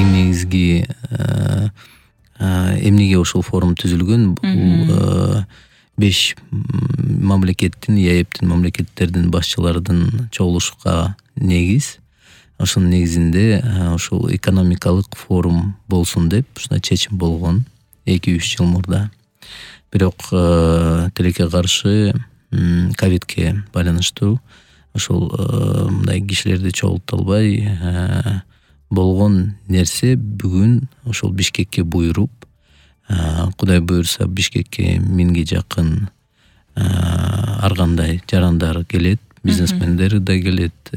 эң негизги эмнеге ушул форум түзүлгөн? Бул 5 мамлекеттин, ЕАЭБтин мамлекеттердин башчыларынын чогулушка негиз. Ошонун негизинде ушул экономикалык форум болсун деп ушундай чечим болгон 2-3 жыл мурда. Бирок тилекке каршы ковидке байланыштуу ошол мындай кишилерди чогулта албай болгон нерсе бүгүн ошол Бишкекке буйруп, Кудай буйрса Бишкекке 1000ге жакын ар кандай жарандар келет, бизнесмендер да келет,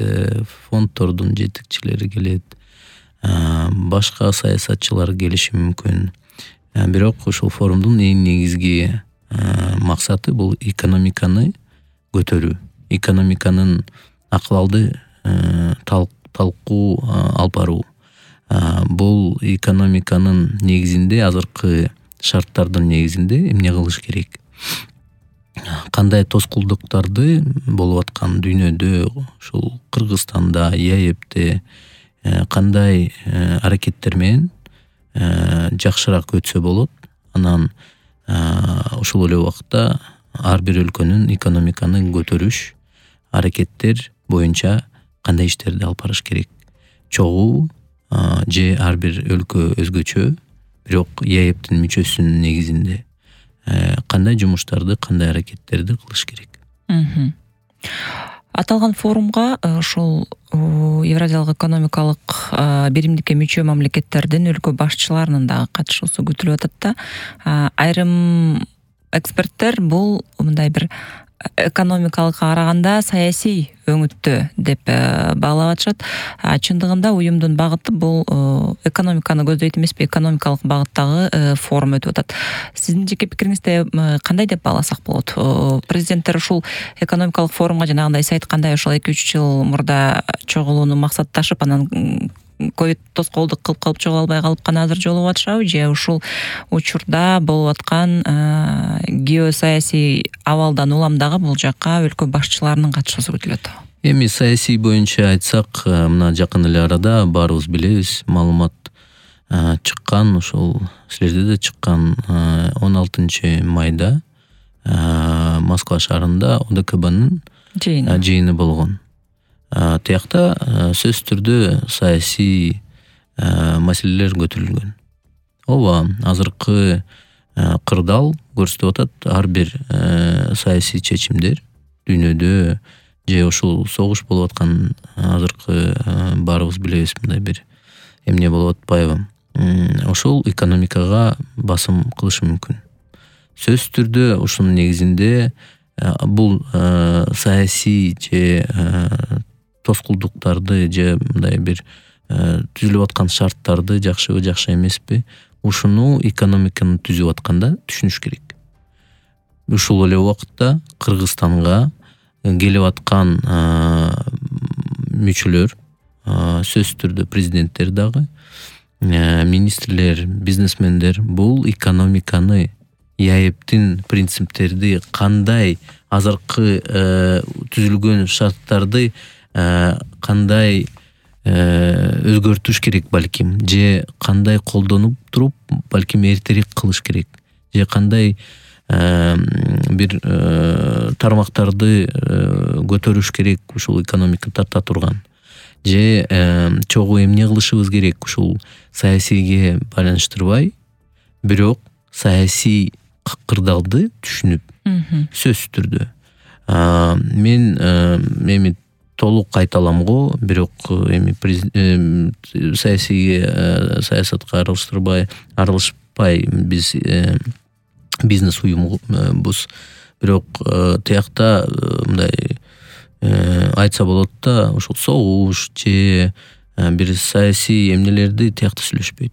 фонддордун жетекчилери келет, башка саясатчылар келиши мүмкүн. Бирок ушул форумдун эң негизги максаты бул экономиканы көтөрүү, экономиканын акыбалды талкуу алып баруу. Бул экономиканын негизинде, азыркы шарттардын негизинде эмне кылыш керек? Кандай тоскоолдуктарды болуп аткан дүйнөдө, ушул Кыргызстанда, ЕАЭБте кандай аракеттер менен жакшыраак өтсө болот? Анан ушул эле убакта ар бир өлкөнүн экономиканы көтөрүш аракеттер боюнча кандай иштерди алып барыш керек? Чогуу же ар бир өлкө өзгөчө, бирок ЕАЭБтин мүчөсүнүн негизинде кандай жумуштарды, кандай аракеттерди кылыш керек? Аталган форумга ошол Евразиялык экономикалык биримдикке мүчө мамлекеттердин өлкө башчыларынын дагы катышуусу күтүлүп атат да. Айрым эксперттер бул мындай бир экономикалыкка караганда саясий өңүттө деп баалап атышат. Чындыгында уюмдун багыты бул экономиканы көздөйт эмеспи, экономикалык багыттагы форум өтүп атат. Сиздин жеке пикириңизде кандай деп бааласак болот? Президенттер ушул экономикалык форумга жанагындай сиз айткандай ошол 2-3 жыл мурда чогулууну максатташып, анан ковид тоскоолдук кылып калып чогула албай калып гана азыр жолугуп атышабы, же ушул учурда болуп аткан геосаясий абалдан улам дагы бул жакка өлкө башчыларынын катышуусу күтүлөт? Эми саясий боюнча айтсак, мына жакын эле арада баарыбыз билебиз, маалымат чыккан, ушул силерде да чыккан 16 майда Москва шаарында ОДКБнын жыйыны болгон. Тиякта сөзсүз түрдө саясий маселелер көтөрүлгөн. Ооба, азыркы кырдаал көрсөтүп атат, ар бир саясий чечимдер дүйнөдө же ушул согуш болуп аткан азыркы баарыбыз билебиз, мындай бир эмне болуп атпайбы? Ошол экономикага басым кылышы мүмкүн. Сөзсүз түрдө ушунун негизинде бул саясий же тоскоолдуктарды же мындай бир түзүлүп аткан шарттарды жакшыбы, жакшы эмеспи, ушуну экономиканы түзүп атканда түшүнүш керек. Ушул эле убакытта Кыргызстанга келип аткан мүчөлөр, сөзсүз түрдө президенттер дагы, министрлер, бизнесмендер бул экономиканы, ЕАЭБтин принциптерди кандай, азыркы түзүлгөн шарттарды кандай өзгөртүш керек балким, же кандай колдонуп туруп балким эртерээк кылыш керек, же кандай бир тармактарды көтөрүш керек ушул экономика тарта турган, же чогуу эмне кылышыбыз керек ушул саясийге байланыштырбай, бирок саясий кырдаалды түшүнүп, сөзсүз түрдө. Мен эми толук айта алам го, бирок эми саясатка аралашпай биз бизнес уюмбуз. Бирок тиякта мындай айтса болот да, ошол согуш же бир саясий эмнелерди тиякта сүйлөшпөйт.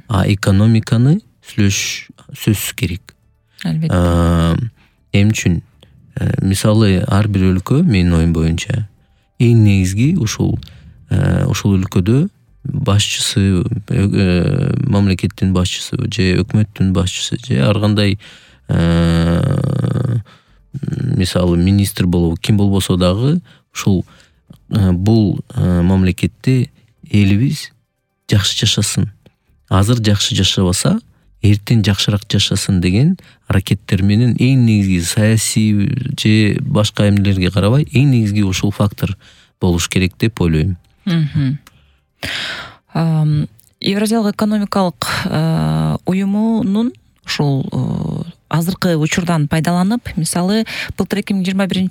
А экономиканы сүйлөш сөзсүз керек. Албетте. Эмне үчүн? Мисалы, ар бир өлкө, менин оюм боюнча, эң негизги ушул өлкөдө башчысы, мамлекеттин башчысы же өкмөттүн башчысы же ар кандай мисалы министр болобу, ким болбосо дагы ушул бул мамлекетте элибиз жакшы жашасын. Азыр жакшы жашабаса, эртең жакшыраак жашасын деген аракеттер менен эң негизги саясий же башка эмнелерге карабай, эң негизги ушул фактор болуш керек деп ойлойм. Евразиялык экономикалык уюмунун ушул азыркы учурдан пайдаланып, мисалы, былтыр 2021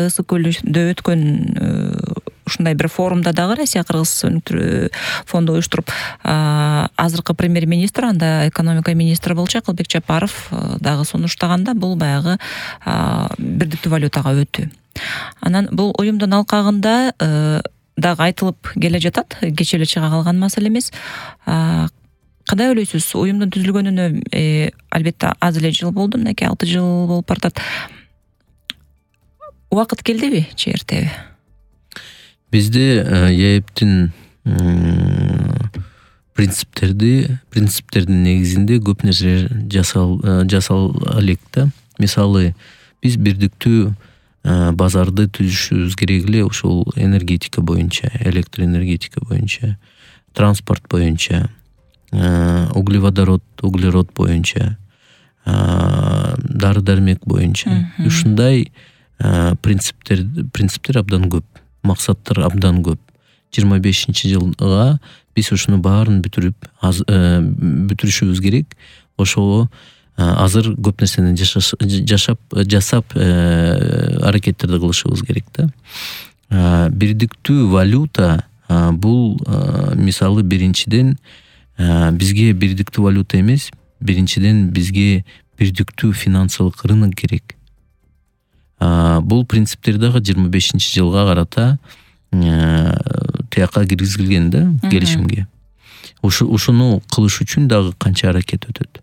Ысык көлдө өткөн ушундай бир форумда дагы Россия Кыргыз фонду уюштуруп, азыркы премьер-министр, анда экономика министри болчу Акылбек Жапаров дагы сунуштаганда бул баягы бирдиктүү валютага өтүү. Анан бул уюмдун алкагында дагы айтылып келе жатат, кечээ эле чыга калган маселе эмес. Кандай ойлойсуз? Уюмдун түзүлгөнүнө албетте аз эле жыл болду, мынакей 6 жыл болуп бартат. Убакыт келдиби, же эртеби? Бизде ЕЭПтин принциптердин негизинде көп нерселер жасала элек да. Мисалы, биз бирдиктүү базарды түзүшүбүз керек эле ушул энергетика боюнча, электр энергетика боюнча, транспорт боюнча, углерод боюнча, дары-дармек боюнча. Ушундай принциптер абдан көп, максаттар абдан көп. 25-жылга биз ушуну баарын бүтүрүшүбүз керек. Ошого азыр көп нерсени жасап аракеттерди кылышыбыз керек да. Бирдиктүү валюта бул мисалы биринчиден бизге бирдиктүү валюта эмес, биринчиден бизге бирдиктүү финансылык рынок керек. Бул принциптер дагы 25-жылга карата тияка киргизилген да, келишимге. Ушуну кылыш үчүн дагы канча аракет өтөт.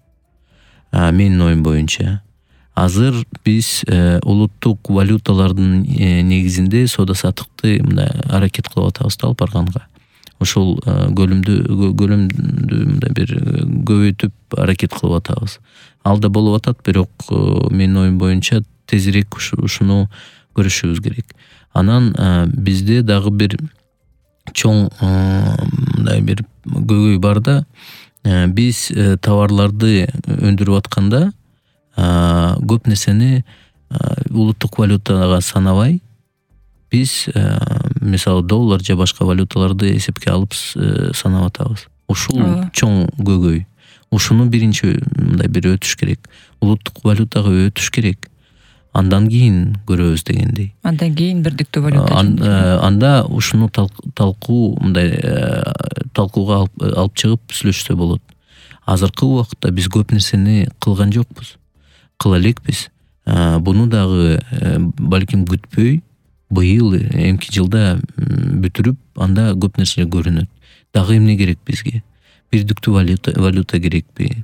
Менин оюм боюнча азыр биз улуттук валюталардын негизинде соода саттыкты мындай аракет кылып атабыз алып барганга. Ушул көлөмдү мындай бир көбөйтүп аракет кылып атабыз. Алда болуп атат, бирок менин оюм боюнча тезирээк ушуну көрүшүбүз керек. Анан бизде дагы бир чоң мындай бир көйгөй бар да. Биз товарларды өндүрүп атканда көп нерсени улуттук валютага санабай, биз мисалы доллар же башка валюталарды эсепке алып санап атабыз. Ушул чоң көйгөй. Ушуну биринчи мындай бир өтүш керек. Улуттук валютага өтүш керек. Андан кийин көрөбүз дегендей. Андан кийин бирдиктүү валюта. Анда ушуну талкууга алып чыгып сүйлөшсө болот. Азыркы убакытта биз көп нерсени кылган жокпуз. Кыла элекпиз. Буну дагы балким күтпөй, быйыл эмки жылда бүтүрүп, анда көп нерселер көрүнөт. Дагы эмне керек бизге? Бирдиктүү валюта керекпи?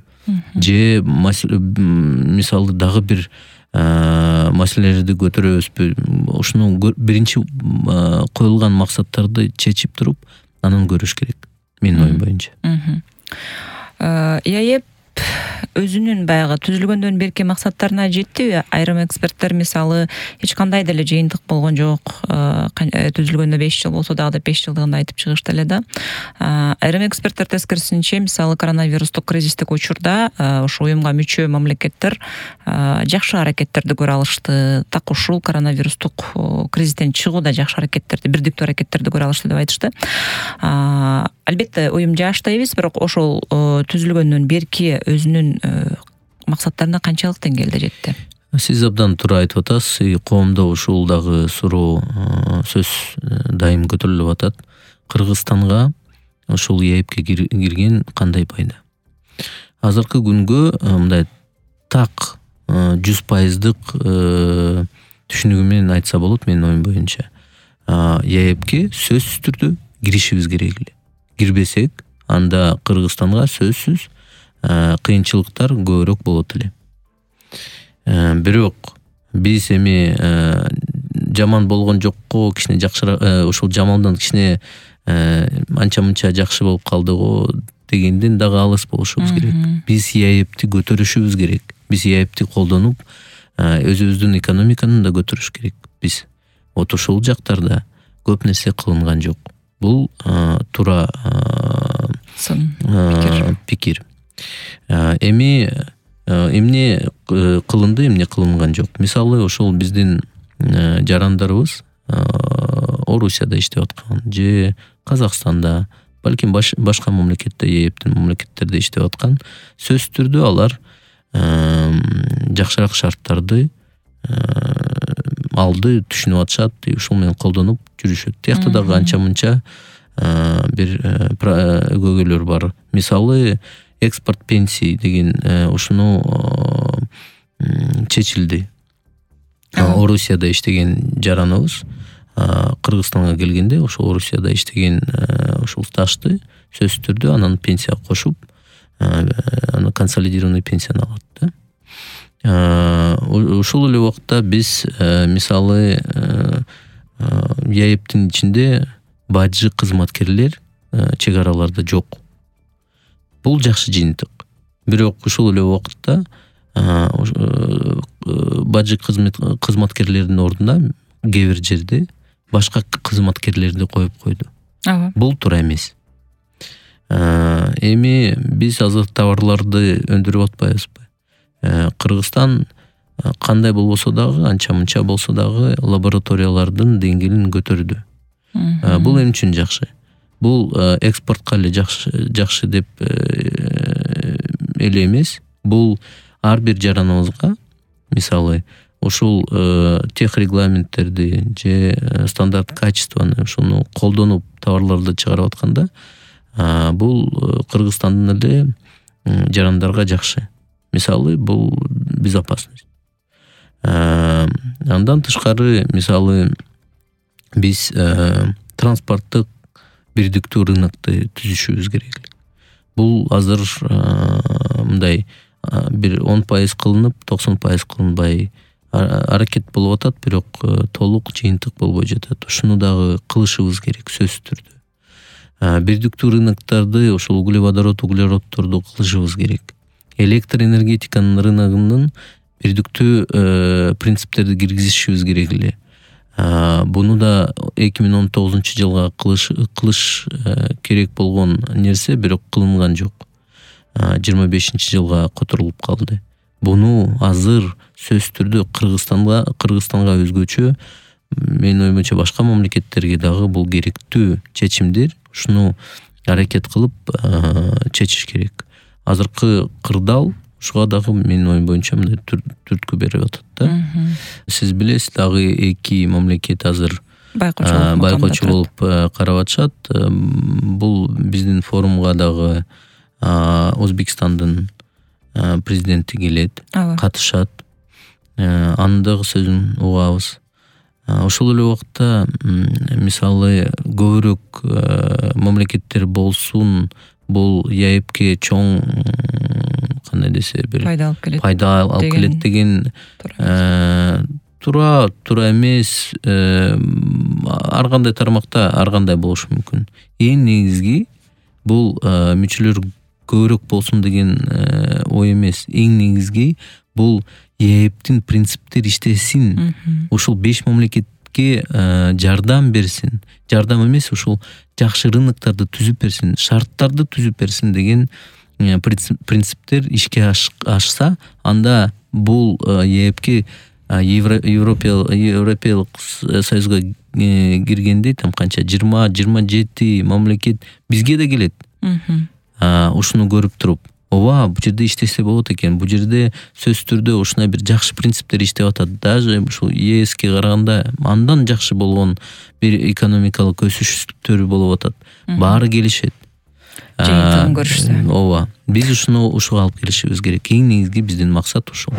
Же мисалы дагы бир маселелерди көтөрөбүзбү? Ушуну биринчи коюлган максаттарды чечип туруп, анан көрүш керек. Менин оюм боюнча. ЕЭП өзүнүн баягы түзүлгөндөн берки максаттарына жеттиби? Айрым эксперттер мисалы эч кандай деле жыйынтык болгон жок, түзүлгөнүнө 5 жыл болсо дагы 5 жылдыгында айтып чыгышты эле да. Айрым эксперттер тескерисинче, мисалы коронавирустук кризистик учурда ошо уюмга мүчө мамлекеттер жакшы аракеттерди көрө алышты. Так ушул коронавирустук кризистен чыгууда жакшы аракеттерди, бирдиктүү аракеттерди көрө алышты деп айтышты. Албетте уюм жаш да эмес, бирок ошол түзүлгөндөн берки өзүнүн максаттарына канчалык деңгээлде жетти? Сиз абдан туура айтып атасыз. Коомдо ушул дагы суроо сөз дайым көтөрүлүп атат. Кыргызстанга ушул ЕЭПке кирген кандай пайда? Азыркы күнгө мындай так 100%дык түшүнүгү менен айтса болот менин оюм боюнча. ЕЭПке сөзсүз түрдө киришибиз керек эле. Кирбесек, анда Кыргызстанга сөзсүз кыйынчылыктар көбүрөөк болот эле. Бирок биз эми жаман болгон жокко, кичине жакшыраак, ушул жамандан кичине анча-мынча жакшы болуп калдыго дегенден дагы алыс болушубуз керек. Биз ЕЭПти көтөрүшүбүз керек. Биз ЕЭПти колдонуп, өзүбүздүн экономиканы да көтөрүш керек. Биз ошол жактарда көп нерсе кылынган жок. Бул туура пикир. Эми эмне кылынды, эмне кылынган жок. Мисалы ошол биздин жарандарыбыз Орусияда иштеп аткан же Казакстанда, балким башка мамлекетте, ЕЭПтин мамлекеттерде иштеп аткан, сөзсүз түрдө алар жакшыраак шарттарды алды, түшүнүп атышат, ушул менен колдонуп жүрүшөт. Тиякта дагы анча мынча бир өгөгөлөр бар. Мисалы экспорт пенсии деген ушуну чечилди. Орусияда иштеген жараныбыз Кыргызстанга келгенде ошол Орусияда иштеген ушул стажды сөзсүз түрдө анан пенсияга кошуп, аны консолидированный пенсияны алат да. Ушул эле убакта биз мисалы ЕЭПтин ичинде бажы кызматкерлер чек араларда жок. Бул жакшы жыйынтык. Бирок ушул эле убакытта бажы кызматкерлердин ордуна кээ бир жерде башка кызматкерлерди коюп койду. Бул туура эмес. Эми биз азыр товарларды өндүрүп атпайбызбы? Кыргызстан кандай болбосо дагы, анча мынча болсо дагы лабораториялардын деңгээлин көтөрдү. Бул эмне үчүн жакшы? Бул экспортко эле жакшы деп эле эмес. Бул ар бир жараныбызга, мисалы, ушул тех регламенттерди же стандарт качествону ушуну колдонуп товарларды чыгарып атканда, бул Кыргызстандын эле жарандарга жакшы. Мисалы, бул безопасность. Андан тышкары, мисалы, биз транспорттук бирдиктүү рынокты түзүшүбүз керек. Бул азыр мындай бир 10% кылынып, 90% кылынбай аракет болуп атат, бирок толук жыйынтык болбой жатат. Ушуну дагы кылышыбыз керек сөзсүз түрдө. Бирдиктүү рыноктарды, ошол углеводородторду кылышыбыз керек. Электр энергетиканын рыногунун бирдиктүү принциптерди киргизишибиз керек эле. Буну да 2019 жылга кылыш керек болгон нерсе, бирок кылынган жок. 25 жылга которулуп калды. Буну азыр сөзсүз түрдө Кыргызстанга өзгөчө, менин оюмча башка мамлекеттерге дагы бул керектүү чечимдер. Ушуну аракет кылып чечиш керек. Азыркы кырдаал ушуга дагы менин оюм боюнча мындай түрткү берип атат да. Сиз билесиз, дагы эки мамлекет азыр байкоочу болуп карап атышат. Бул биздин форумга дагы Өзбекстандын президенти келет, катышат. Анын дагы сөзүн угабыз. Ошол эле убакта, мисалы, көбүрөөк мамлекеттер болсун, бул ЕЭПке чоң кандай десе бир пайда алып келет деген туура эмес. Ар кандай тармакта ар кандай болушу мүмкүн. Эң негизги бул мүчөлөр көбүрөөк болсун деген ой эмес. Эң негизги бул ЕЭПтин принциптери иштесин. Ушул 5 мамлекетке жардам берсин. Жардам эмес, ушул жакшы рыноктарды түзүп берсин, шарттарды түзүп берсин деген принциптер ишке ашса, анда бул ЕЭПке Европалык союзга киргенде там канча 20-27 мамлекет бизге да келет. Ушуну көрүп туруп, ооба, бул жерде иштесе болот экен, бул жерде сөзсүз түрдө ушундай бир жакшы принциптер иштеп атат. Даже ушул ЕСке караганда андан жакшы болгон бир экономикалык өсүштөр болуп атат. Баары келишет. Жыйынтыгын көрүшсө. Ооба. Биз ушуга алып келишибиз керек. Эң негизги биздин максат ушул.